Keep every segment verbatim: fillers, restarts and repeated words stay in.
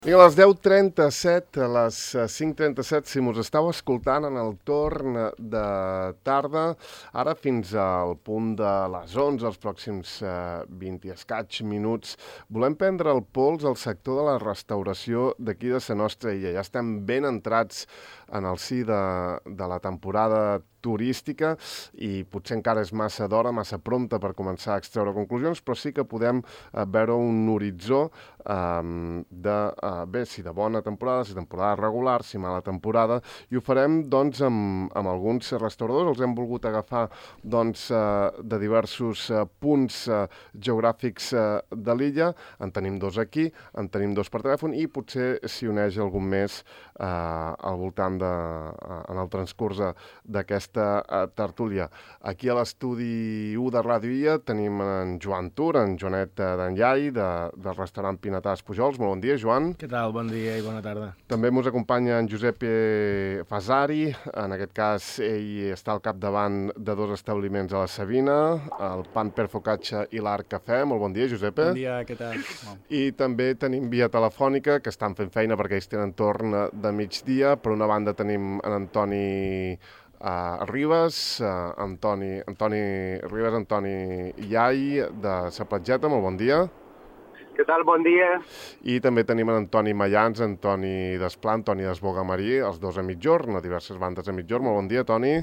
Vinga, a les deu trenta-set, a les cinc trenta-set, si mos estàu escoltant en el torn de tarda, ara fins al punt de les onze, els pròxims eh, vint i escaig minuts, volem prendre el pols al sector de la restauració d'aquí de la nostra illa. Ja estem ben entrats en el si de, de la temporada turística i potser encara és massa d'hora, massa prompte per començar a extreure conclusions, però sí que podem eh, veure un horitzó eh, de, eh, bé, si de bona temporada, si temporada regular, si mala temporada, i ho farem doncs amb, amb alguns restauradors. Els hem volgut agafar doncs eh, de diversos eh, punts eh, geogràfics eh, de l'illa. En tenim dos aquí, en tenim dos per telèfon i potser s'hi uneix algun més eh, al voltant de, eh, en el transcurs d'aquesta Uh, tertúlia. Aquí a l'estudi u de Ràdio Illa tenim en Joan Tur, en Joanet d'Enllai, de, del restaurant Pinatàs Pujols. Molt bon dia, Joan. Què tal? Bon dia i bona tarda. També ens acompanya en Josep Fasari. En aquest cas, ell està al capdavant de dos establiments a la Sabina, el Pan per Focaccia i l'Arc Cafè. Molt bon dia, Josep. Bon dia, què tal? I també tenim via telefònica, que estan fent feina perquè ells tenen torn de migdia. Per una banda tenim en Antoni Uh, Ribas, uh, Antoni, Antoni Ribas, Antoni Iai, de Sa Platgeta, molt bon dia. Què tal? Bon dia. I també tenim en Antoni Mayans, Antoni Desplà, Antoni Desbogamarí, els dos a mitjorn, a diverses bandes a mitjorn. Molt bon dia, Toni.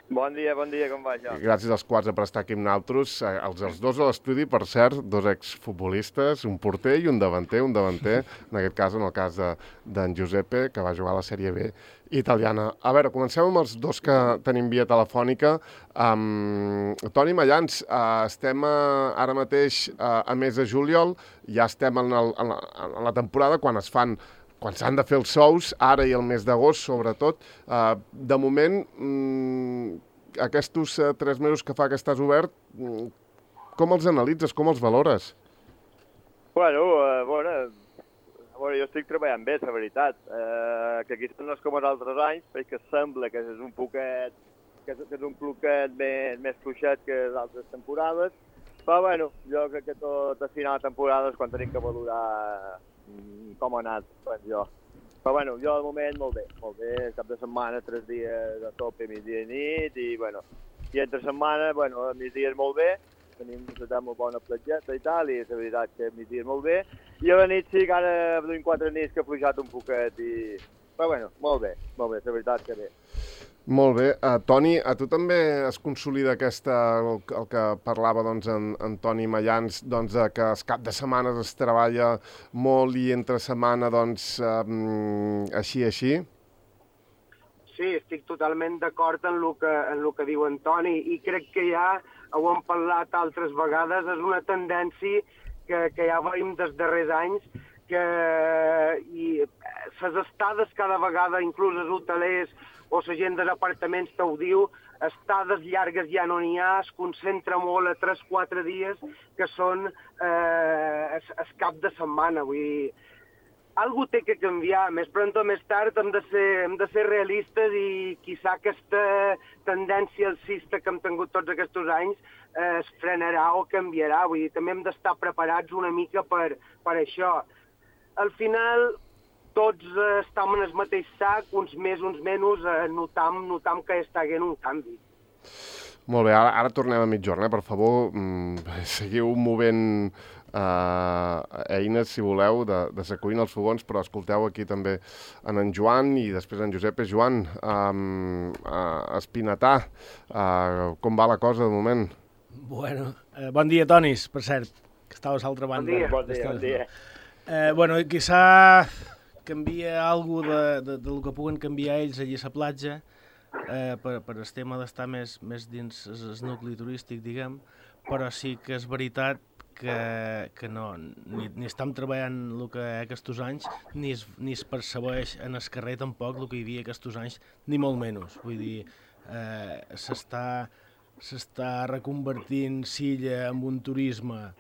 Bon dia, bon dia, com va això? Gràcies als quatre per estar aquí amb nosaltres. Els, els dos a l'estudi, per cert, dos exfutbolistes, un porter i un davanter, un davanter, en aquest cas, en el cas d'en Giuseppe, que va jugar a la Sèrie B italiana. A veure, comencem amb els dos que tenim via telefònica. Um, Toni Mayans, uh, estem uh, ara mateix uh, a mes de juliol, ja estem en, el, en, la, en la temporada quan es fan quan s'han de fer els sous, ara i el mes d'agost, sobretot. Uh, de moment, mm, aquests uh, tres mesos que fa que estàs obert, mm, com els analitzes, com els valores? Bueno, uh, bueno, bueno, jo estic treballant bé, la veritat. Uh, que aquí no és com els altres anys, perquè sembla que és un poquet, que és, que és un poquet més, més fluixet que les altres temporades. Però, bueno, jo crec que tot a final de temporada és quan tenim que valorar com ha anat, doncs jo. Però bueno, jo de moment molt bé, molt bé, cap de setmana, tres dies a tope, migdia i nit, i bueno, i entre setmana, bueno, a migdia és molt bé, tenim una molt bona platgeta i tal, i és la veritat que a migdia és molt bé, i a la nit sí que ara duim quatre nits que ha fluixat un poquet, i... però bueno, molt bé, molt bé, la veritat que bé. Molt bé. Uh, Toni, a tu també es consolida aquesta, el, el que parlava doncs, en, en Toni Mayans, doncs, que els cap de setmana es treballa molt i entre setmana, doncs, um, així, així? Sí, estic totalment d'acord en el que, en el que diu en Toni i crec que ja ho hem parlat altres vegades, és una tendència que, que ja veiem des darrers anys, que i les estades cada vegada, inclús els hotelers o la gent dels apartaments te ho diu, estades llargues ja no n'hi ha, es concentra molt a tres o quatre dies, que són eh, el cap de setmana. Vull dir, algú té que canviar, més pront o més tard hem de ser, hem de ser realistes i quizà aquesta tendència alcista que hem tingut tots aquests anys eh, es frenarà o canviarà. Vull dir, també hem d'estar preparats una mica per, per això. Al final, tots eh, estem en el mateix sac, uns més, uns menys, eh, notam, notam que està havent un canvi. Molt bé, ara, ara tornem a mitjorn, eh? Per favor, mm, seguiu movent eh, eines, si voleu, de, de la cuina als fogons, però escolteu aquí també en en Joan i després en Josep. Joan, um, uh, Espinatà, uh, com va la cosa de moment? Bueno, eh, bon dia, Tonis, per cert, que estaves a l'altra banda. Bon dia, bon dia. Bon dia. Eh, bueno, quizà canvia alguna de, de, del que puguen canviar ells allà a la platja eh, per, per el tema d'estar més, més dins el nucli turístic, diguem, però sí que és veritat que, que no, ni, ni estem treballant el que aquests anys, ni es, ni es percebeix en el carrer tampoc el que hi havia aquests anys, ni molt menys. Vull dir, eh, s'està s'està reconvertint Silla en un turisme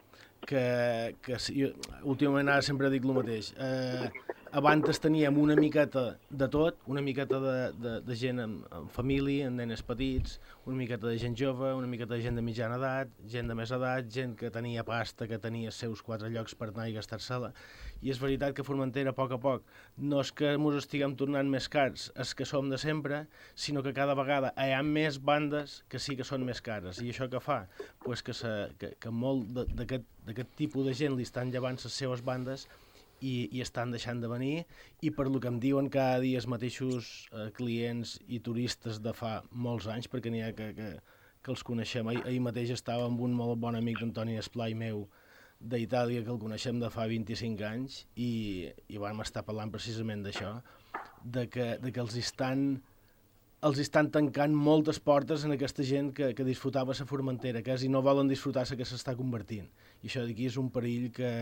que, que jo, últimament ara sempre dic el mateix. Eh, abans teníem una miqueta de tot, una miqueta de, de, de gent amb, amb família, amb nenes petits, una miqueta de gent jove, una miqueta de gent de mitjana edat, gent de més edat, gent que tenia pasta, que tenia els seus quatre llocs per anar i gastar-se-la. I és veritat que Formentera, a poc a poc, no és que ens estiguem tornant més cars, és que som de sempre, sinó que cada vegada hi ha més bandes que sí que són més cares. I això què fa? Pues que, se, que, que molt d'aquest tipus de gent li estan llevant les seves bandes i, i estan deixant de venir, i per lo que em diuen cada dia els mateixos eh, clients i turistes de fa molts anys, perquè n'hi ha que, que, que els coneixem. Ahir, ahir mateix estava amb un molt bon amic d'Antoni Esplai meu d'Itàlia, que el coneixem de fa vint-i-cinc anys, i, i vam estar parlant precisament d'això, de que, de que els estan els estan tancant moltes portes en aquesta gent que, que disfrutava la Formentera, que i no volen disfrutar la que s'està convertint. I això d'aquí és un perill que,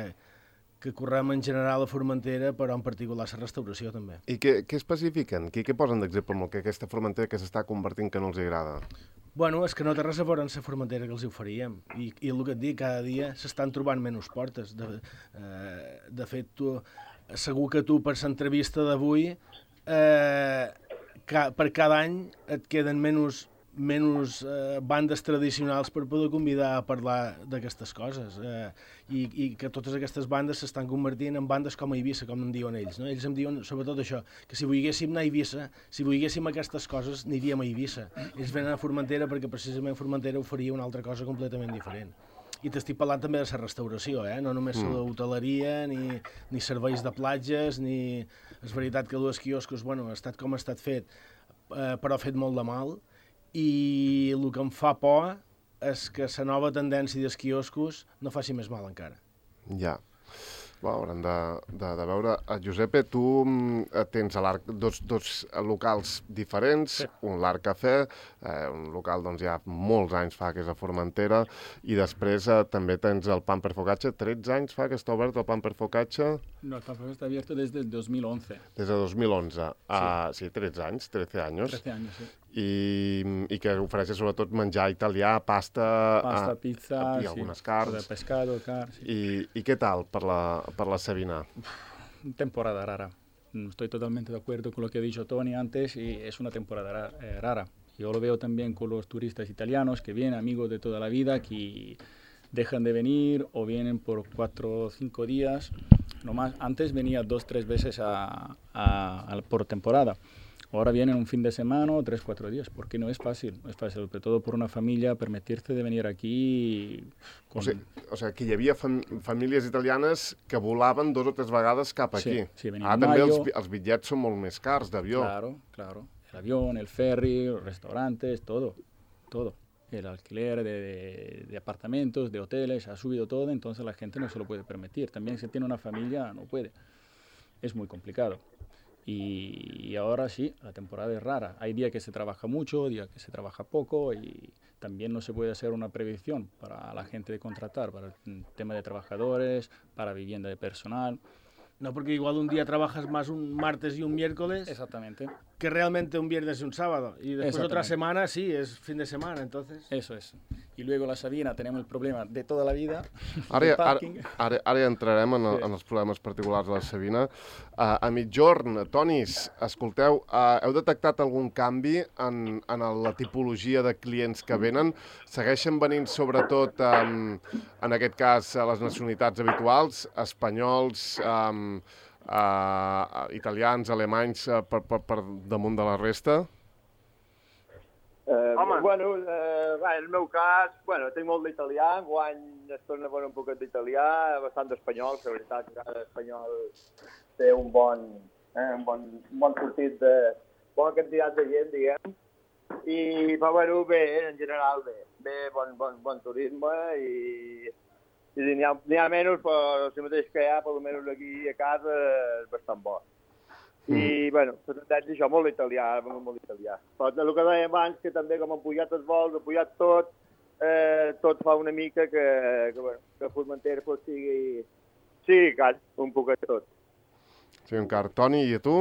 que correm en general a Formentera, però en particular la restauració també. I què, què especifiquen? Què, què posen d'exemple amb el que aquesta Formentera que s'està convertint que no els agrada? Bueno, és que no té res a veure amb la Formentera que els oferíem. I, i el que et dic, cada dia s'estan trobant menys portes. De, eh, de fet, tu, segur que tu per l'entrevista d'avui, eh, ca, per cada any et queden menys, menys eh, bandes tradicionals per poder convidar a parlar d'aquestes coses. Eh, i, I que totes aquestes bandes s'estan convertint en bandes com a Eivissa, com em diuen ells. No? Ells em diuen sobretot això, que si volguéssim anar a Eivissa, si volguéssim aquestes coses, aniríem a Eivissa. Ells venen a Formentera perquè precisament Formentera oferia una altra cosa completament diferent. I t'estic parlant també de la restauració, eh? No només mm. l'hoteleria, ni, ni serveis de platges, ni... És veritat que els quioscos, bueno, ha estat com ha estat fet, eh, però ha fet molt de mal, i el que em fa por és que la nova tendència dels quioscos no faci més mal encara. Ja. Bé, haurem de, de, de veure. Giuseppe, tu tens a l'Arc dos, dos locals diferents, sí. Un l'Arc Cafè, eh, un local doncs ja molts anys fa que és a Formentera, i després eh, també tens el Pan per Focaccia. tretze anys fa que està obert el Pan per Focaccia? No, el Pan per Focaccia está abierto desde el dos mil once. Des de dos mil onze. Sí, ah, sí tretze anys, trece anys. trece anys, sí. I, i que ofereixes sobretot menjar italià, pasta... Pasta, a, pizza, i algunes sí. carns. De pescado, car, sí. I, I què tal per la, per la Sabina? Temporada rara. Estoy totalmente de acuerdo con lo que ha dicho Tony antes, y es una temporada rara. Yo lo veo también con los turistas italianos que vienen, amigos de toda la vida, que dejan de venir o vienen por cuatro o cinco días. No más. Antes venía dos, tres veces a, a, a, por temporada. Ahora vienen un fin de semana o tres, cuatro días, porque no es fácil, no es fácil, sobre todo por una familia, permitirte de venir aquí... Con... O sigui, o sigui, que hi havia fam famílies italianes que volaven dos o tres vegades cap aquí. Sí, sí, ah, també els, els bitllets són molt més cars d'avió. Claro, claro. El avión, el ferry, los restaurantes, todo, todo. El alquiler de, de, de apartamentos, de hoteles, ha subido todo, entonces la gente no se lo puede permitir. También si tiene una familia, no puede. Es muy complicado. Y, y ahora sí, la temporada es rara. Hay días que se trabaja mucho, días que se trabaja poco, y también no se puede hacer una previsión para la gente de contratar, para el tema de trabajadores, para vivienda de personal. No, porque igual un día trabajas más un martes y un miércoles. Exactamente. Que realmente un viernes y un sábado. Y después otra semana, sí, es fin de semana, entonces... Eso es. Y luego la Sabina tenemos el problema de toda la vida. Ara, ara, ara, ara ja entrarem en, el, en els problemes particulars de la Sabina. Uh, a mitjorn, Tonis, escolteu, uh, heu detectat algun canvi en, en la tipologia de clients que venen? Segueixen venint sobretot, um, en aquest cas, a les nacionalitats habituals, espanyols, um, uh, italians, alemanys, uh, per, per, per damunt de la resta? Eh, bueno, eh, va, en el meu cas, bueno, tinc molt d'italià, enguany es torna a veure un poquet d'italià, bastant d'espanyol, que la veritat que cada espanyol té un bon, eh, un bon, un bon sortit de bona quantitat de gent, diguem, i, però bueno, bé, en general bé, bé, bon, bon, bon turisme, i, i n'hi ha, n'hi ha menys, però si mateix que hi ha, per almenys aquí a casa, és bastant bo. I, mm. bueno, per tant, això, molt italià, molt, molt italià. Però el que dèiem abans, que també com han pujat els vols, han pujat tot, eh, tot fa una mica que, que, bueno, que Formentera pues, sigui, sigui car, un poquet tot. Sí, un car. Toni, i a tu?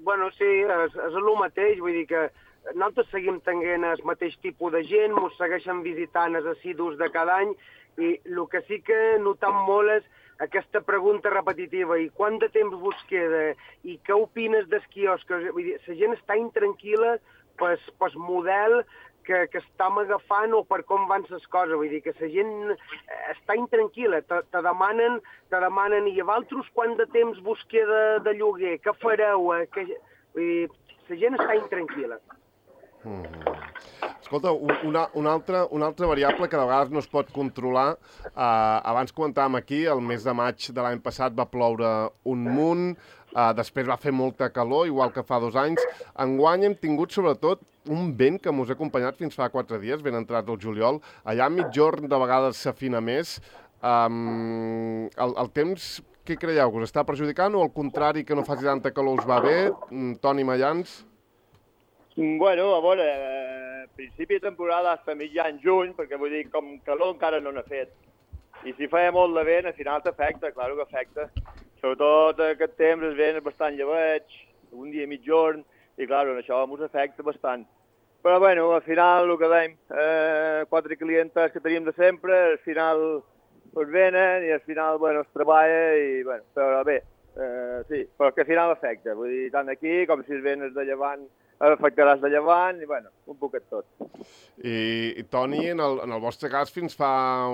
Bueno, sí, és, és el mateix, vull dir que nosaltres seguim tenint el mateix tipus de gent, ens segueixen visitant els assidus de cada any, i el que sí que notam molt és aquesta pregunta repetitiva, i quant de temps vos queda, i què opines dels quioscos? Vull dir, la gent està intranquil·la pel, pel model que, que estem agafant o per com van les coses. Vull dir que la gent està intranquil·la, te, te, demanen, te demanen, i a vosaltres quant de temps vos queda de lloguer, què fareu? Que, vull dir, la gent està intranquil·la. Mm-hmm. Escolta, una, una, altra, una altra variable que de vegades no es pot controlar. Eh, abans comentàvem aquí, el mes de maig de l'any passat va ploure un munt, eh, després va fer molta calor, igual que fa dos anys. Enguany hem tingut, sobretot, un vent que mos ha acompanyat fins fa quatre dies, ben entrat el juliol. Allà a mitjorn de vegades s'afina més. Um, el, el temps, què creieu? Que us està perjudicant o al contrari, que no faci tanta calor us va bé? Toni Mayans? Bueno, a veure, eh, principi de temporada fins a mitjan juny, perquè vull dir, com calor encara no n'ha fet. I si feia molt de vent, al final t'afecta, clar que afecta. Sobretot aquest temps el vent és bastant llebeig, un dia mitjorn, i clar, això ens afecta bastant. Però bueno, al final el que dèiem, eh, quatre clientes que teníem de sempre, al final es venen i al final, bueno, es treballa i, bueno, però bé, eh, sí, però que al final afecta. Vull dir, tant aquí com si es venes de llevant, afectaràs de llevant i, bueno, un poquet tot. I, i Toni, en el, en el vostre cas, fins fa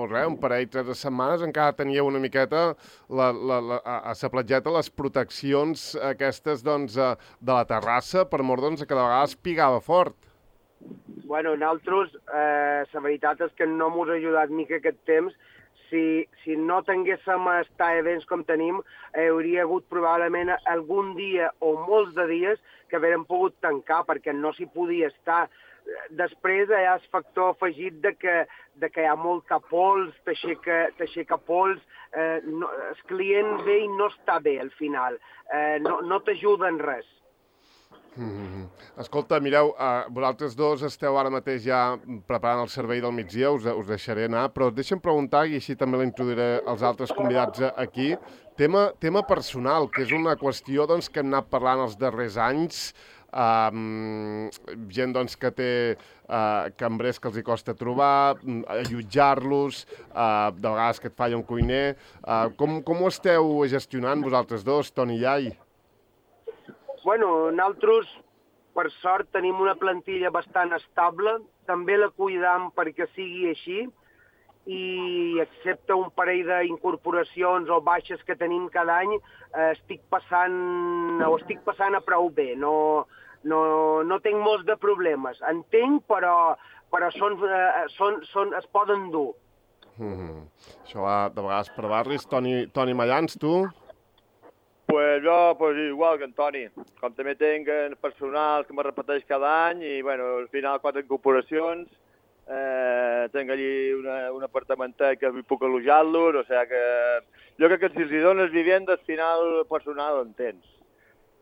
res, un parell, tres de setmanes, encara teníeu una miqueta la, la, la, a, a la platgeta les proteccions aquestes doncs, de la terrassa, per mort doncs, que de vegades pigava fort. Bueno, nosaltres, eh, la veritat és que no mos ha ajudat mica aquest temps. Si, si no tinguéssim estar events com tenim, eh, hauria hagut probablement algun dia o molts de dies que haguérem pogut tancar perquè no s'hi podia estar. Després hi ha el factor afegit de que, de que hi ha molta pols, t'aixeca pols, eh, no, el client ve i no està bé al final, eh, no, no t'ajuda en res. Mm-hmm. Escolta, mireu, uh, vosaltres dos esteu ara mateix ja preparant el servei del migdia, us, us deixaré anar, però deixa'm preguntar, i així també la introduiré als altres convidats aquí, tema, tema personal, que és una qüestió doncs, que hem anat parlant els darrers anys, um, gent doncs, que té uh, cambrers que els hi costa trobar, allotjar-los, uh, de vegades que et falla un cuiner. Uh, com, com ho esteu gestionant vosaltres dos, Toni i Iai? Bueno, nosaltres, per sort, tenim una plantilla bastant estable, també la cuidam perquè sigui així, i excepte un parell d'incorporacions o baixes que tenim cada any, eh, estic passant, o estic passant a prou bé, no, no, no tinc molts de problemes. Entenc, però, però són, eh, són, són, es poden dur. Mm-hmm. Això va de vegades per barris. Toni, Toni Mayans, tu? Pues jo, pues igual que en Toni, com també tinc personal que me repeteix cada any i, bueno, al final quatre incorporacions, eh, tinc allí una, un apartamentet que puc alojar-los, o sigui que jo crec que si els dones vivienda, al final personal en tens.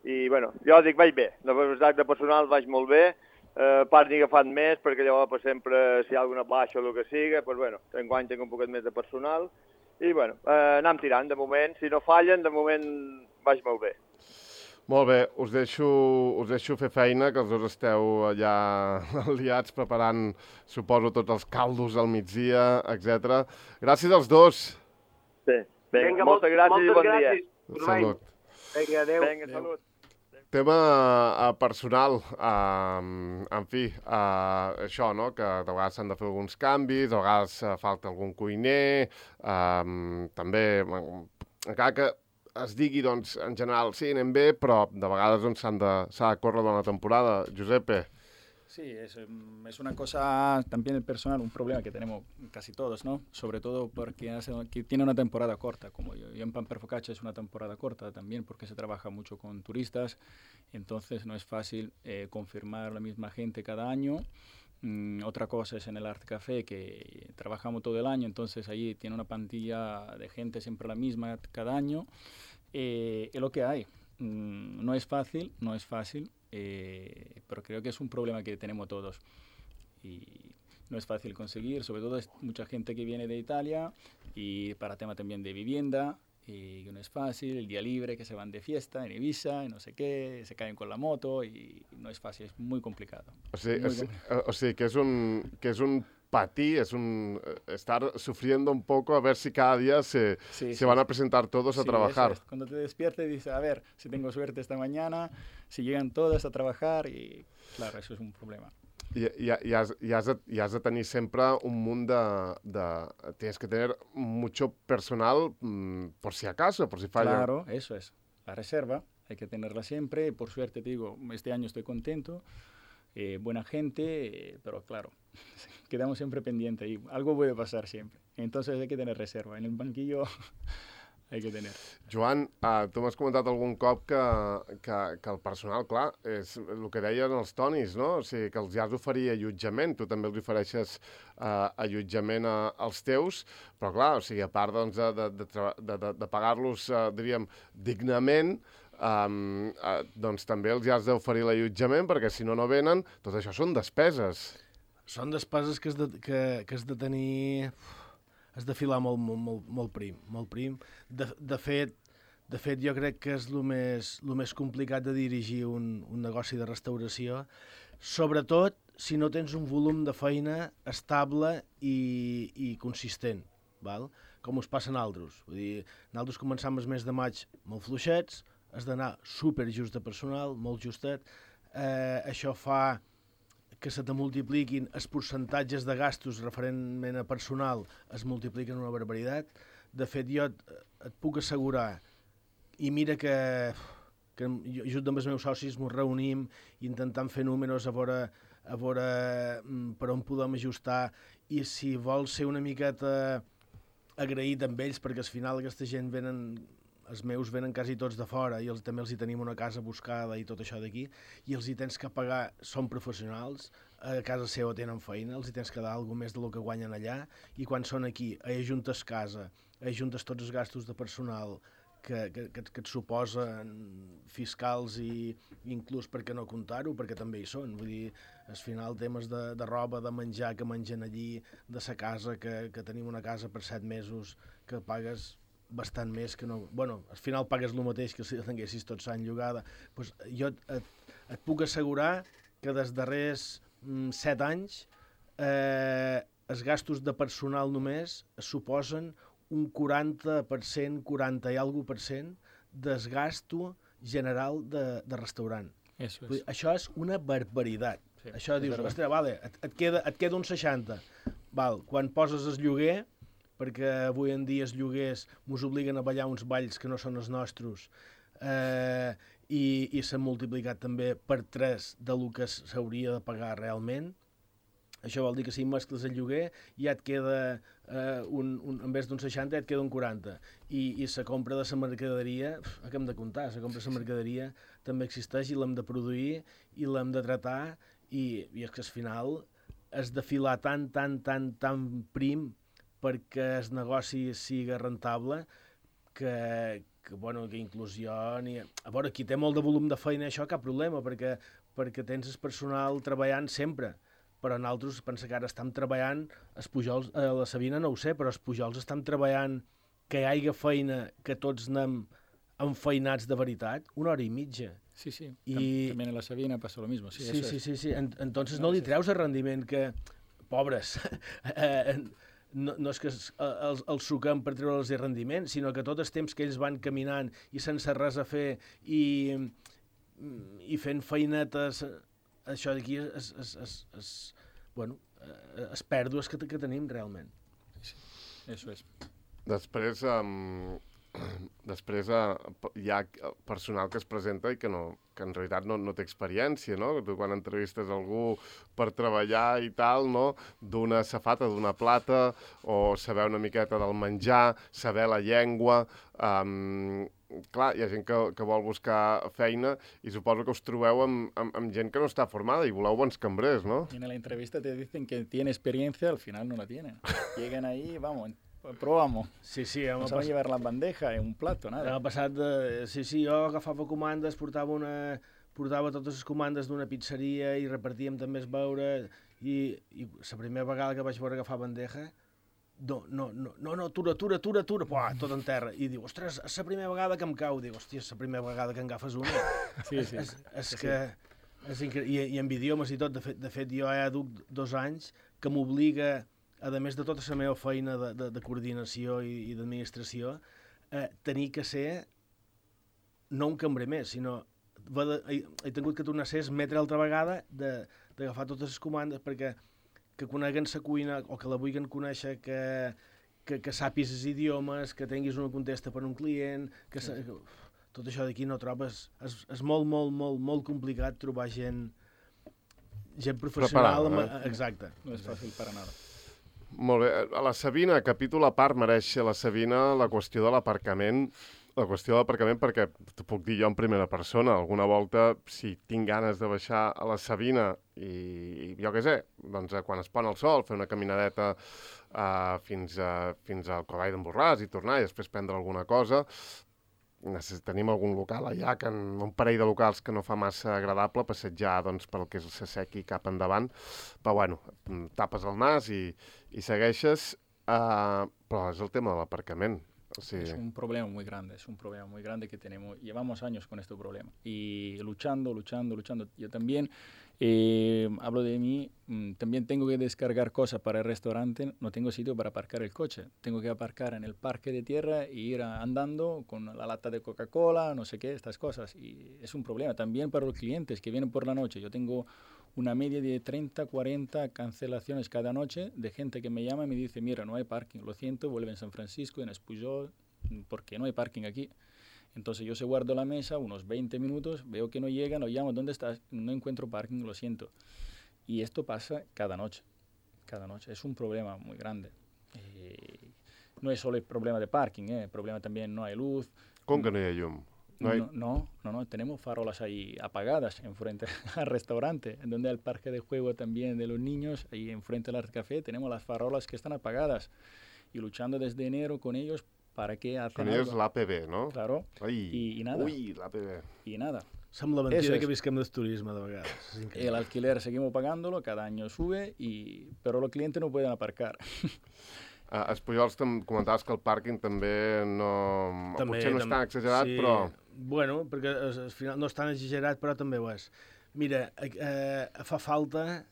I, bueno, jo dic, vaig bé, la veritat de personal vaig molt bé, eh, part n'he agafat més, perquè llavors per sempre, si hi ha alguna baixa o el que sigui, pues bueno, enguany tinc un poquet més de personal, i, bueno, eh, anem tirant, de moment. Si no fallen, de moment vaig molt bé. Molt bé, us deixo, us deixo fer feina, que els dos esteu allà liats preparant, suposo, tots els caldos al migdia, etcètera. Gràcies als dos. Sí, vinga, Vinga moltes gràcies moltes i bon gràcies. dia. Salut. Vinga, adéu. Vinga, salut. Tema uh, personal, uh, en fi, uh, això, no?, que de vegades s'han de fer alguns canvis, de vegades uh, falta algun cuiner, uh, també, encara que es digui, doncs, en general, sí, anem bé, però de vegades doncs, s'han de, s'ha de córrer durant la temporada. Giuseppe. Sí, es, es una cosa también personal, un problema que tenemos casi todos, ¿no? Sobre todo porque hace, que tiene una temporada corta, como yo, yo en Pan per Focaccia es una temporada corta también porque se trabaja mucho con turistas, entonces no es fácil eh, confirmar la misma gente cada año. Mm, otra cosa es en el Art Café, que trabajamos todo el año, entonces ahí tiene una plantilla de gente siempre la misma cada año. Eh, es lo que hay. Mm, no es fácil, no es fácil. Eh, pero creo que es un problema que tenemos todos y no es fácil conseguir, sobre todo es mucha gente que viene de Italia y para tema también de vivienda, y no es fácil, el día libre que se van de fiesta en Ibiza y no sé qué, se caen con la moto y no es fàcil, és muy complicado. O sigui, muy o sigui, o sigui que, és un, que és un patir, es un estar sufriendo un poco a ver si cada día se, sí, se sí, van sí. a presentar todos sí, a trabajar. Eso es. Cuando te despiertas dices, a ver, si tengo suerte esta mañana, si llegan todas a trabajar y claro, eso es un problema. I, i, i, has, i, has de, I has de tenir sempre un munt de, de... Tienes que tener mucho personal mmm, por si acaso, por si falla. Claro, eso es. La reserva hay que tenerla siempre. Por suerte, te digo, este año estoy contento. Eh, buena gente, eh, pero claro, quedamos siempre pendientes y algo puede pasar siempre. Entonces hay que tener reserva. En el banquillo hay que tener. Joan, uh, tu m'has comentat algun cop que, que, que el personal, clar, és el que deien els Tonis, no? O sigui, que els has d'oferir allotjament, tu també els ofereixes uh, allotjament a, als teus, però clar, o sigui, a part doncs, de, de, de, de, de pagar-los, uh, diríem, dignament, um, uh, doncs també els has d'oferir l'allotjament, perquè si no, no venen, tot això són despeses. Són despeses que has de, que, que has de tenir... has de filar molt, molt, molt, molt prim, molt prim. De, de, fet, de fet, jo crec que és el més, el més complicat de dirigir un, un negoci de restauració, sobretot si no tens un volum de feina estable i, i consistent, val? Com us passa a nosaltres. Vull dir, nosaltres començam el mes de maig molt fluixets, has d'anar super just de personal, molt justet, eh, això fa que se te multipliquin els percentatges de gastos referentment a personal, es multipliquen una barbaritat. De fet, jo et, et puc assegurar, i mira que, que jo, junt amb els meus socis ens reunim intentant fer números a veure, a veure per on podem ajustar, i si vols ser una miqueta agraït amb ells, perquè al final aquesta gent venen... els meus venen quasi tots de fora i els, també els hi tenim una casa buscada i tot això d'aquí, i els hi tens que pagar, són professionals, a casa seva tenen feina, els hi tens que dar alguna més del que guanyen allà, i quan són aquí, ajuntes casa, ajuntes tots els gastos de personal que, que, que, que et suposen fiscals i inclús per què no comptar-ho, perquè també hi són. Vull dir, al final temes de, de roba, de menjar que mengen allí, de sa casa, que, que tenim una casa per set mesos que pagues bastant més que no... Bueno, al final pagues el mateix que si tinguessis tot l'any llogada. Pues jo et, et, et puc assegurar que des darrers mm, set anys eh, els gastos de personal només suposen un quaranta per cent, quaranta i alguna per cent del gasto general de, de restaurant. Eso Vull dir, es. això és una barbaritat. Sí, això és dius, verdad. ostres, vale, et, et, queda, et queda un seixanta. Val, quan poses el lloguer, perquè avui en dia els lloguers ens obliguen a ballar uns balls que no són els nostres, eh, i, i s'han multiplicat també per tres del que s'hauria de pagar realment. Això vol dir que si mescles el lloguer ja et queda, eh, un, un, en vez d'un seixanta, ja et queda un quaranta. I, i la compra de la mercaderia, pf, què hem de comptar? La compra de la mercaderia també existeix i l'hem de produir i l'hem de tratar, i, i és que al final has de filar tan, tan, tan, tan prim perquè el negoci sigui rentable, que, que, bueno, que inclús jo... Ni... A veure, qui té molt de volum de feina, això cap problema, perquè, perquè tens el personal treballant sempre, però nosaltres, pensa que ara estem treballant, els Pujols, eh, la Sabina no ho sé, però els Pujols estan treballant que hi hagi feina, que tots anem enfeinats de veritat, una hora i mitja. Sí, sí. I... También en la Sabina pasa lo mismo. Sí, Sí, eso sí, es. sí, sí. En, entonces no li treus el rendiment que... Pobres. eh, no, no és que els, els, els suquem per treure'ls el rendiment, sinó que tot el temps que ells van caminant i sense res a fer i, i fent feinetes, això d'aquí és, és, és, és, bueno, és pèrdues que, que tenim realment. Sí, eso es. Després, um, després uh, hi ha personal que es presenta i que, no, que en realitat no, no té experiència, no? Tu quan entrevistes algú per treballar i tal, no? D'una safata, d'una plata, o saber una miqueta del menjar, saber la llengua... Um, clar, hi ha gent que, que vol buscar feina i suposo que us trobeu amb, amb, amb gent que no està formada i voleu bons cambrers, ¿no? Y en la entrevista te dicen que tiene experiencia, al final no la tienen. Llegan ahí, vamos, probamos. Sí, sí, No home, saben llevar la bandeja en un plato, nada. L'ha passat de... Sí, sí, jo agafava comandes, portava una... portava totes les comandes d'una pizzeria i repartíem també el beure, i, i la primera vegada que vaig veure agafar bandeja, no, no, no, no, no, atura, atura, atura, atura, puà, tot en terra. I diu, ostres, és la primera vegada que em cau. Diu, hòstia, és la primera vegada que en agafes una. Sí, sí. És, és, és que... És incre... I, I amb idiomes i tot. De fet, de fet jo ja duc dos anys que m'obliga, a més de tota la meva feina de, de, de coordinació i, i d'administració, eh, tenir que ser no un cambrer més, sinó de, he, he tingut que tornar a ser metre altra vegada d'agafar totes les comandes perquè que coneguen la cuina o que la vulguin conèixer, que, que, que sàpis els idiomes, que tinguis una contesta per un client, que, sí. que uf, tot això d'aquí no trobes, és, és molt, molt, molt, molt complicat trobar gent gent professional. Preparada, eh? Exacte. No és fàcil per a nada. Molt bé. A la Sabina, capítol a part, mereix a la Sabina la qüestió de l'aparcament, la qüestió de l'aparcament perquè t'ho puc dir jo en primera persona. Alguna volta, si tinc ganes de baixar a la Sabina i, i jo què sé, doncs quan es pon el sol, fer una caminadeta uh, fins, a, fins al Cavall d'en Borràs i tornar i després prendre alguna cosa, tenim algun local allà, que, un parell de locals que no fa massa agradable passejar doncs, pel que és el Sassequi cap endavant, però bueno, tapes el nas i, i segueixes, uh, però és el tema de l'aparcament. O sigui... Es un problema muy grande, es un problema muy grande que tenemos, llevamos años con este problema y luchando, luchando, luchando. Yo también eh, hablo de mí, mmm, también tengo que descargar cosas para el restaurante, no tengo sitio para aparcar el coche, tengo que aparcar en el parque de tierra e ir andando con la lata de Coca-Cola, no sé qué, estas cosas. Y es un problema también para los clientes que vienen por la noche. Yo tengo una media de treinta, cuarenta cancelaciones cada noche de gente que me llama y me dice, mira, no hay parking, lo siento, vuelve en San Francisco, en Espujol, porque no hay parking aquí. Entonces yo se guardo la mesa unos veinte minutos, veo que no llegan, lo llamo, ¿dónde estás? No encuentro parking, lo siento. Y esto pasa cada noche, cada noche. Es un problema muy grande. Eh, no es solo el problema de parking, eh, el problema también no hay luz. ¿Cómo que no hay llum? No, hay... no, no, no, no, tenemos farolas ahí apagadas enfrente al restaurante, en donde el parque de juego también de los niños, ahí enfrente al Art Café, tenemos las farolas que están apagadas y luchando desde enero con ellos para que hacen con ellos l'A P B, ¿no? Claro, Ai, y, y nada. Ui, l'A P B. Y nada. Sembla mentira que visquem del turisme de vegades. El alquiler seguimos pagándolo, cada año sube, y... pero los clientes no pueden aparcar. A Espujols comentaves que el pàrquing també no... També, potser no és també, tan exagerat, sí, però... Bueno, perquè al final no és tan exagerat, però també ho és. Mira, eh, fa falta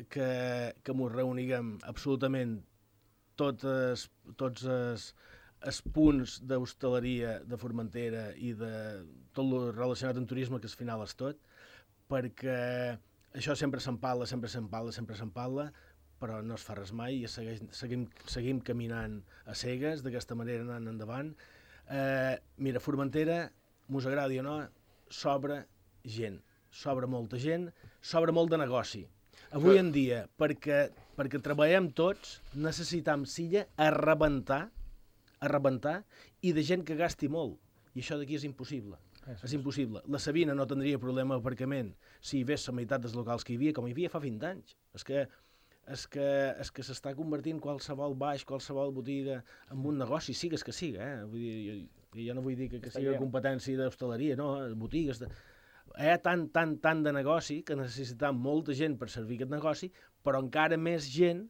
que, que ens reuniguem absolutament totes, tots els, els punts d'hostaleria de Formentera i de tot el relacionat amb turisme, que al final és tot, perquè això sempre se'n parla, sempre se'n parla, sempre se'n parla, però no es fa res mai i segueix, seguim, seguim caminant a cegues, d'aquesta manera anant endavant. Eh, mira, Formentera, mos agradi o no, sobra gent, sobra molta gent, sobra molt de negoci. Avui en dia, perquè, perquè treballem tots, necessitam silla a rebentar, a rebentar, i de gent que gasti molt. I això d'aquí és impossible. És, és impossible. La Sabina no tindria problema d'aparcament si hi hagués la meitat dels locals que hi havia, com hi havia fa vint anys. És que és que, és que s'està convertint qualsevol baix, qualsevol botiga en un negoci, sigues que siga, eh? Vull dir, jo, jo no vull dir que, que sigui competència d'hostaleria, no, botigues... De... Hi ha tant, tant, tant de negoci que necessitem molta gent per servir aquest negoci, però encara més gent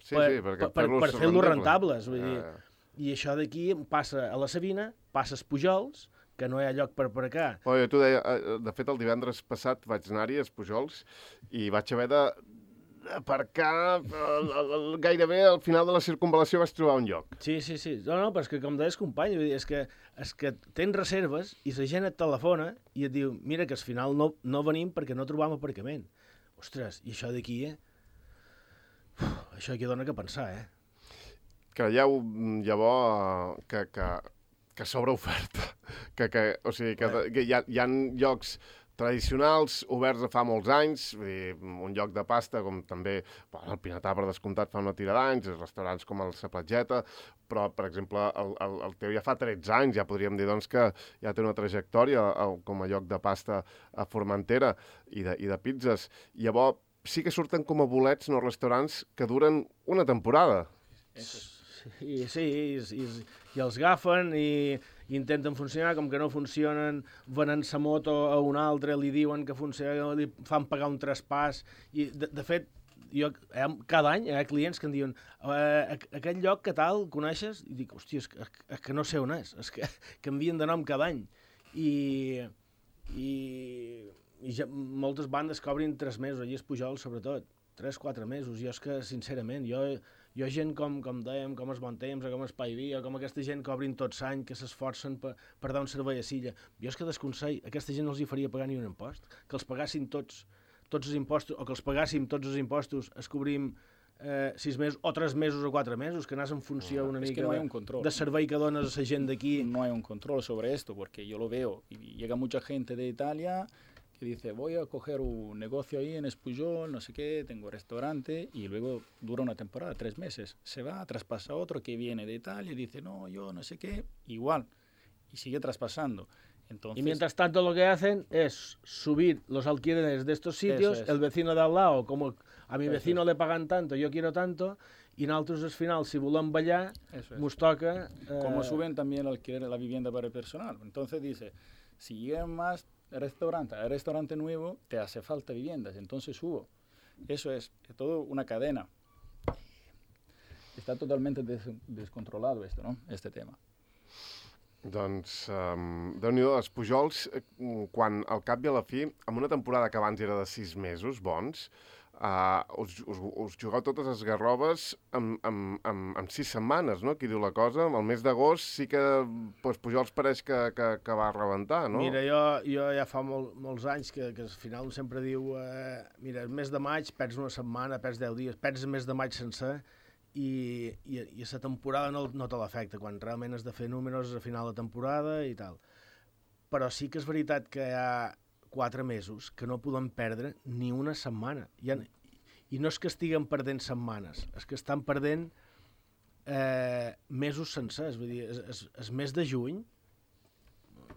sí, per, sí, per, per, per fer-lo rentables. Vull dir, ja, ja. I això d'aquí passa a la Sabina, passa als Pujols, que no hi ha lloc per aparcar. Oh, jo t'ho deia, de fet el divendres passat vaig anar-hi als Pujols i vaig haver de aparcar gairebé al final de la circunvalació vaig trobar un lloc. Sí, sí, sí. No, no, però és que com deies company, és que, és que tens reserves i la gent et telefona i et diu, mira que al final no, no venim perquè no trobam aparcament. Ostres, i això d'aquí, eh? Uf, això aquí dona que pensar, eh? Creieu llavors que, que, que s'obre oferta, que, que, o sigui, que, que hi, ha, hi ha llocs tradicionals, oberts de fa molts anys, vull dir, un lloc de pasta com també bueno, el Pinatà per descomptat fa una tira d'anys, restaurants com el Sa Platgeta, però, per exemple, el, el, el teu ja fa tretze anys, ja podríem dir doncs, que ja té una trajectòria el, com a lloc de pasta a Formentera i de, i de pizzas. I llavors sí que surten com a bolets en els restaurants que duren una temporada. Sí, sí, i, i, i els agafen i, i intenten funcionar, com que no funcionen, venen sa moto a un altre, li diuen que funciona, li fan pagar un traspàs, i de, de fet, jo, eh, cada any hi ha clients que em diuen eh, aquest lloc que tal, coneixes? I dic, hòstia, és que, és que no sé on és, és que canvien de nom cada any. I, i, i ja, moltes bandes cobrin tres mesos, allà és Pujol sobretot. tres quatre mesos. Jo és que, sincerament, jo, jo gent com, com dèiem, com es Bon Temps, o com Espai Via, com aquesta gent que obrin tots l'any, que s'esforcen per, per dar un servei a Silla, jo és que desconsell, aquesta gent no els hi faria pagar ni un impost, que els pagassin tots, tots els impostos, o que els pagàssim tots els impostos, es cobrim eh, sis mesos, o tres mesos o quatre mesos, que anàs en funció una es mica que no hay de, un control. de servei que dones a la gent d'aquí. No hay un control sobre esto, porque yo lo veo, y llega mucha gente de Italia que dice, voy a coger un negocio ahí en Espujol, no sé qué, tengo restaurante, y luego dura una temporada, tres meses. Se va, traspasa otro que viene de Italia y dice, no, yo no sé qué, igual, y sigue traspasando. Entonces, y mientras tanto lo que hacen es subir los alquileres de estos sitios, es. El vecino de al lado, como a mi vecino le pagan tanto, yo quiero tanto, y nosotros al final, si volem ballar, nos toca... Eh... Como suben también el alquiler de la vivienda para el personal. Entonces dice, si llegan más restaurante, al restaurante nuevo, te hace falta viviendas, entonces subo. Eso es, es todo una cadena. Está totalmente des descontrolado esto, ¿no? Este tema. Doncs, um, Déu-n'hi-do, els Pujols, quan al cap i a la fi, en una temporada que abans era de sis mesos bons, uh, us, us, us jugueu totes les garrobes amb, amb, amb, amb sis setmanes, no? Qui diu la cosa? El mes d'agost sí que pues, Pujols pareix que, que, que va rebentar, no? Mira, jo, jo ja fa molt, molts anys que, que al final sempre diu eh, mira, el mes de maig perds una setmana, perds deu dies, perds el mes de maig sencer, i, i, i a la temporada no, no te l'afecta, quan realment has de fer números a final de temporada i tal. Però sí que és veritat que hi ha quatre mesos que no podem perdre ni una setmana. I, han, i no és que estiguen perdent setmanes, és que estan perdent eh, mesos sencers. Vull dir, és, és, és mes de juny,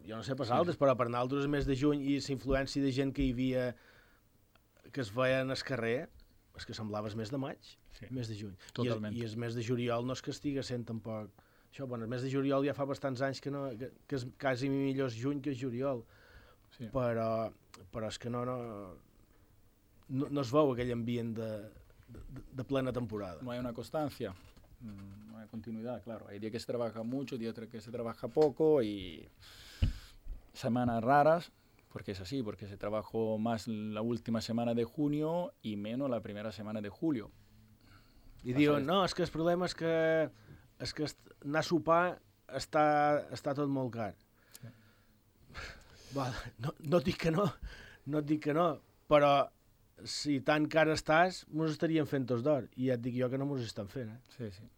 jo no sé pas altres, però per nosaltres és mes de juny i la influència de gent que hi havia, que es veien al carrer, és que semblava el mes de maig, sí. Mes de juny. Totalment. I, I el mes de juliol no és que estigui sent tampoc... Això, bueno, el mes de juliol ja fa bastants anys que, no, que, que és quasi millor és juny que és juliol, sí. però, però és que no, no, no, no es veu aquell ambient de, de, de plena temporada. No hay una constancia, no hay continuidad, claro. Hay días que se trabaja mucho, días que se trabaja poco y semanas raras. Porque es así, porque se trabajó más la última semana de junio y menos la primera semana de julio. I diuen, no, és que el problema és que, és que anar a sopar està, està tot molt car. Sí. Val, no, no et dic que no, no et dic que no, però si tan car estàs, mos estaríem fent tots d'or. I ja et dic jo que no mos estan fent. Eh? Sí, sí,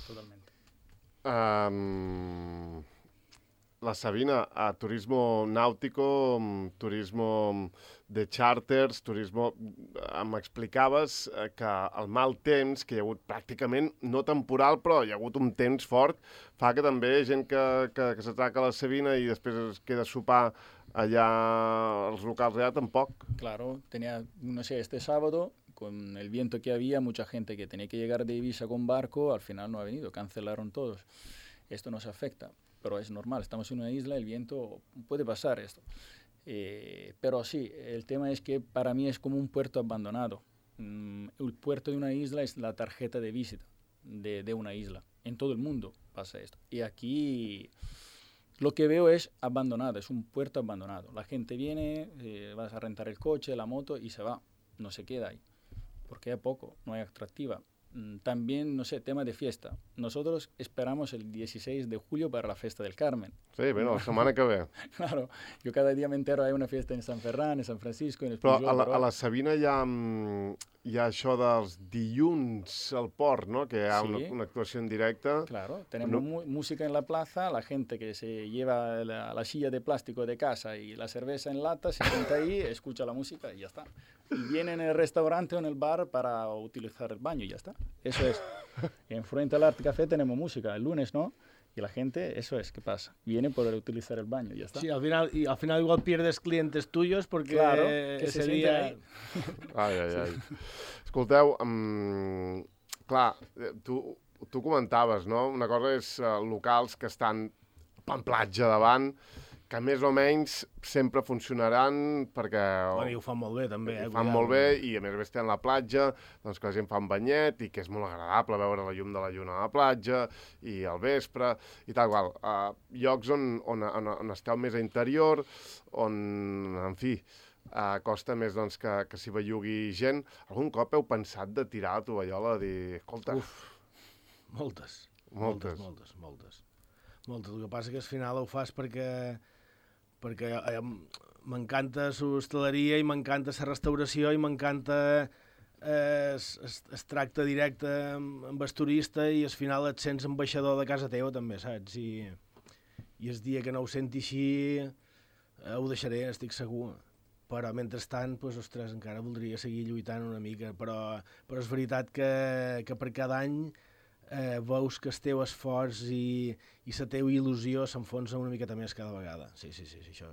totalment. Um... La Sabina, a turismo náutico, turismo de charters, turismo... M'explicaves que el mal temps, que hi ha hagut pràcticament, no temporal, però hi ha hagut un temps fort, fa que també gent que, que, que s'atraca a la Sabina i després es queda a sopar allà als locals allà tampoc. Claro, tenía, no sé, este sábado, con el viento que había, mucha gente que tenía que llegar de Ibiza con barco, al final no ha venido, cancelaron todos. Esto nos afecta. Pero es normal, estamos en una isla, el viento, puede pasar esto. Eh, pero sí, el tema es que para mí es como un puerto abandonado. Mm, el puerto de una isla es la tarjeta de visita de, de una isla. En todo el mundo pasa esto. Y aquí lo que veo es abandonado, es un puerto abandonado. La gente viene, eh, vas a rentar el coche, la moto y se va, no se queda ahí. Porque hay poco, no hay atractiva. También, no sé, tema de fiesta. Nosotros esperamos el dieciséis de julio para la fiesta del Carmen. Sí, bueno, la setmana que ve. Claro, yo cada día me entero, hay una fiesta en San Ferran, en San Francisco, en el Però a la, a la Sabina hi ha, hi ha això dels dilluns al port, ¿no? Que hi ha sí. una, una actuació en directe. Claro, tenemos no. música en la plaza, la gente que se lleva la, la silla de plástico de casa y la cerveza en lata, se sienta ahí, escucha la música y ya está. Y viene en el restaurante o en el bar para utilizar el baño y ya está. Eso es. Enfrente al Art Café tenemos música, el lunes, ¿no? Y la gente, eso es, ¿qué pasa? Viene por utilizar el baño y ya está. Sí, al final, y al final igual pierdes clientes tuyos porque claro, que ese se día... Ahí. Ai, ai, ai. Escolteu, um, clar, tu, tu comentaves, no? Una cosa és uh, locals que estan en platja davant, que més o menys sempre funcionaran perquè... Bueno, i ho fan molt bé, també. Eh, ho fan molt bé i a més a més tenen la platja, doncs que la gent fa un banyet i que és molt agradable veure la llum de la lluna a la platja i al vespre i tal qual. Uh, llocs on, on, on, on esteu més a interior, on, en fi, Uh, costa més doncs, que, que s'hi bellugui gent. Algun cop heu pensat de tirar la tovallola i dir, escolta... Uf, moltes. Moltes. Moltes, moltes, moltes. Moltes. El que passa que al final ho fas perquè perquè eh, m'encanta l'hostaleria i m'encanta la restauració i m'encanta eh, es, es, es tracte directe amb, amb el turista i al final et sents ambaixador de casa teva també, saps? I, i el dia que no ho senti així eh, ho deixaré, estic segur. Però mentrestant, doncs, ostres, encara voldria seguir lluitant una mica, però, però és veritat que, que per cada any eh, veus que el teu esforç i, i la teva il·lusió s'enfonsa una miqueta més cada vegada. Sí, sí, sí, sí això,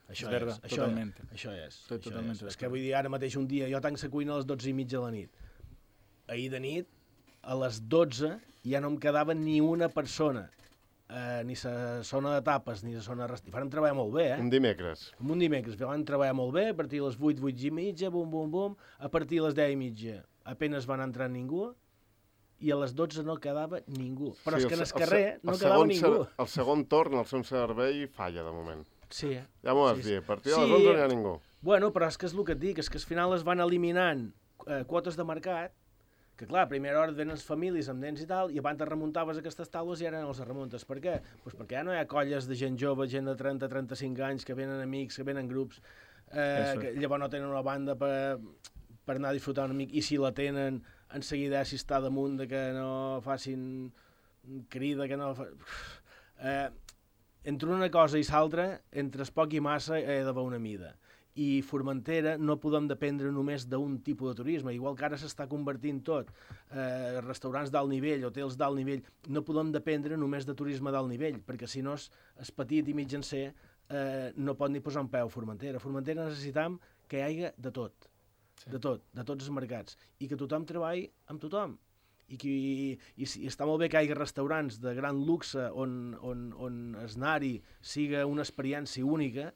això és. Verdad, és, totalment. Això, això és. Estoy això totalment és. És que vull dir, ara mateix un dia, jo tanco la cuina a les dotze i mitja de la nit. Ahir de nit, a les dotze, ja no em quedava ni una persona. Uh, ni la zona de tapes, ni la zona de restaurant. Van treballar molt bé, eh? Un dimecres. Un dimecres. Van treballar molt bé, a partir de les vuit, vuit i mitja, bum, bum, bum. A partir de les deu i mitja, apenas van entrar ningú, i a les dotze no quedava ningú. Però sí, és que en el carrer el, no el quedava ningú. El segon torn, el seu servei, falla, de moment. Sí, eh? Ja m'ho vas sí, dir, a partir sí. de les onze no hi ha ningú. Bueno, però és que és el que et dic, és que al final es van eliminant eh, quotes de mercat, que clar, a primera hora venen les famílies amb nens i tal, i abans te remuntaves aquestes taules i ara no les remuntes. Per què? Pues perquè ja no hi ha colles de gent jove, gent de trenta a trenta-cinc anys, que venen amics, que venen grups, eh, que llavors no tenen una banda per, per anar a disfrutar una mica, i si la tenen, en seguida si està damunt de que no facin crida, que no... Fa... Eh, entre una cosa i l'altra, entre es poc i massa, he d'haver una mida. I Formentera no podem dependre només d'un tipus de turisme, igual que ara s'està convertint tot, eh, restaurants d'alt nivell, hotels d'alt nivell, no podem dependre només de turisme d'alt nivell, perquè si no és, és petit i mitjancer, eh, no pot ni posar un peu a Formentera. A Formentera necessitam que hi hagi de tot, sí. de tot, de tots els mercats, i que tothom treballi amb tothom. I, que, i, i, i està molt bé que hi hagi restaurants de gran luxe on, on, on anar-hi siga una experiència única,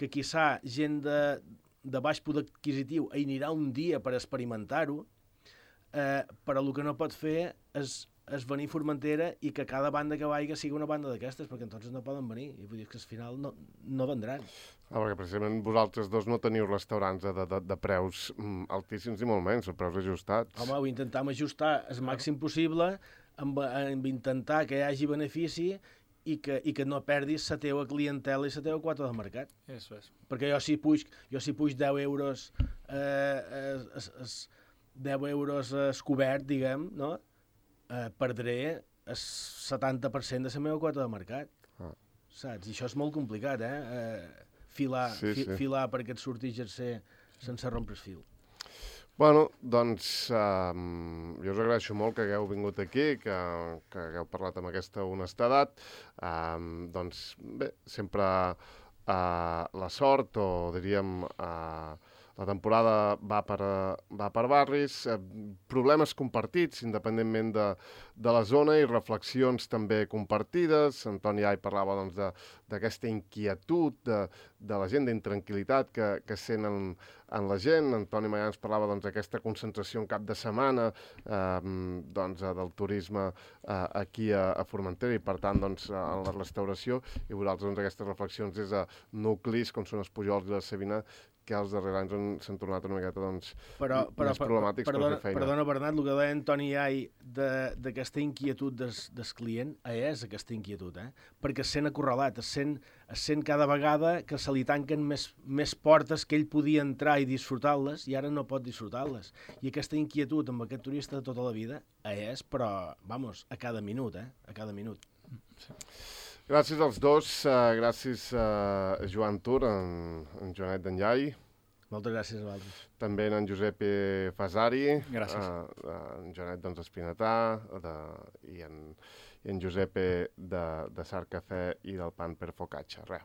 que quizà gent de, de baix poder adquisitiu anirà un dia per experimentar-ho, eh, però el que no pot fer és, és venir a Formentera i que cada banda que vagi sigui una banda d'aquestes, perquè entonces no poden venir, i vull dir que al final no, no vendran. Ah, perquè precisament vosaltres dos no teniu restaurants de, de, de preus mm, altíssims i molt menys, o preus ajustats. Home, ho intentam ajustar el màxim possible amb, amb intentar que hi hagi benefici i que, i que no perdis la teva clientela i la teva quota de mercat. Eso es. Perquè jo si puig, jo si puig deu euros eh, es, es, deu euros es cobert, diguem, no? Eh, perdré el setanta per cent de la meva quota de mercat. Ah. Saps? I això és molt complicat, eh? eh filar, sí, fi, sí. filar perquè et surti exercer sense rompre el fil. Bueno, doncs um, jo us agraeixo molt que hagueu vingut aquí, que, que hagueu parlat amb aquesta honestedat. Um, doncs bé, sempre uh, la sort, o diríem uh, la temporada va per, va per barris, eh, problemes compartits, independentment de, de la zona, i reflexions també compartides. Antoni Ai parlava doncs, d'aquesta inquietud de, de la gent, d'intranquil·litat que, que sent en, en la gent. Antoni Mayans parlava d'aquesta doncs, concentració en cap de setmana eh, doncs, del turisme eh, aquí a, a Formentera i, per tant, doncs, en la restauració. I vosaltres doncs, aquestes reflexions des de nuclis, com són els Pujols i la Savina, que els darrers anys s'han tornat una miqueta doncs, però, però, més problemàtics perdona, per fer feina. Perdona, Bernat, el que deia Antoni Ai d'aquesta inquietud des, des client, és aquesta inquietud, eh? Perquè es sent acorralat, es sent, es sent cada vegada que se li tanquen més, més portes que ell podia entrar i disfrutar-les, i ara no pot disfrutar-les. I aquesta inquietud amb aquest turista de tota la vida és, però, vamos, a cada minut, eh? A cada minut. Sí. Gràcies als dos, uh, gràcies a uh, Joan Tur, en, en Joanet d'Enllai. Moltes gràcies a vosaltres. També en Giuseppe Fasari. Gràcies. Uh, en Joanet doncs, Espinatà de, i, en, i en Giuseppe de, de Sar Cafè i del Pan per Focaccia. Res,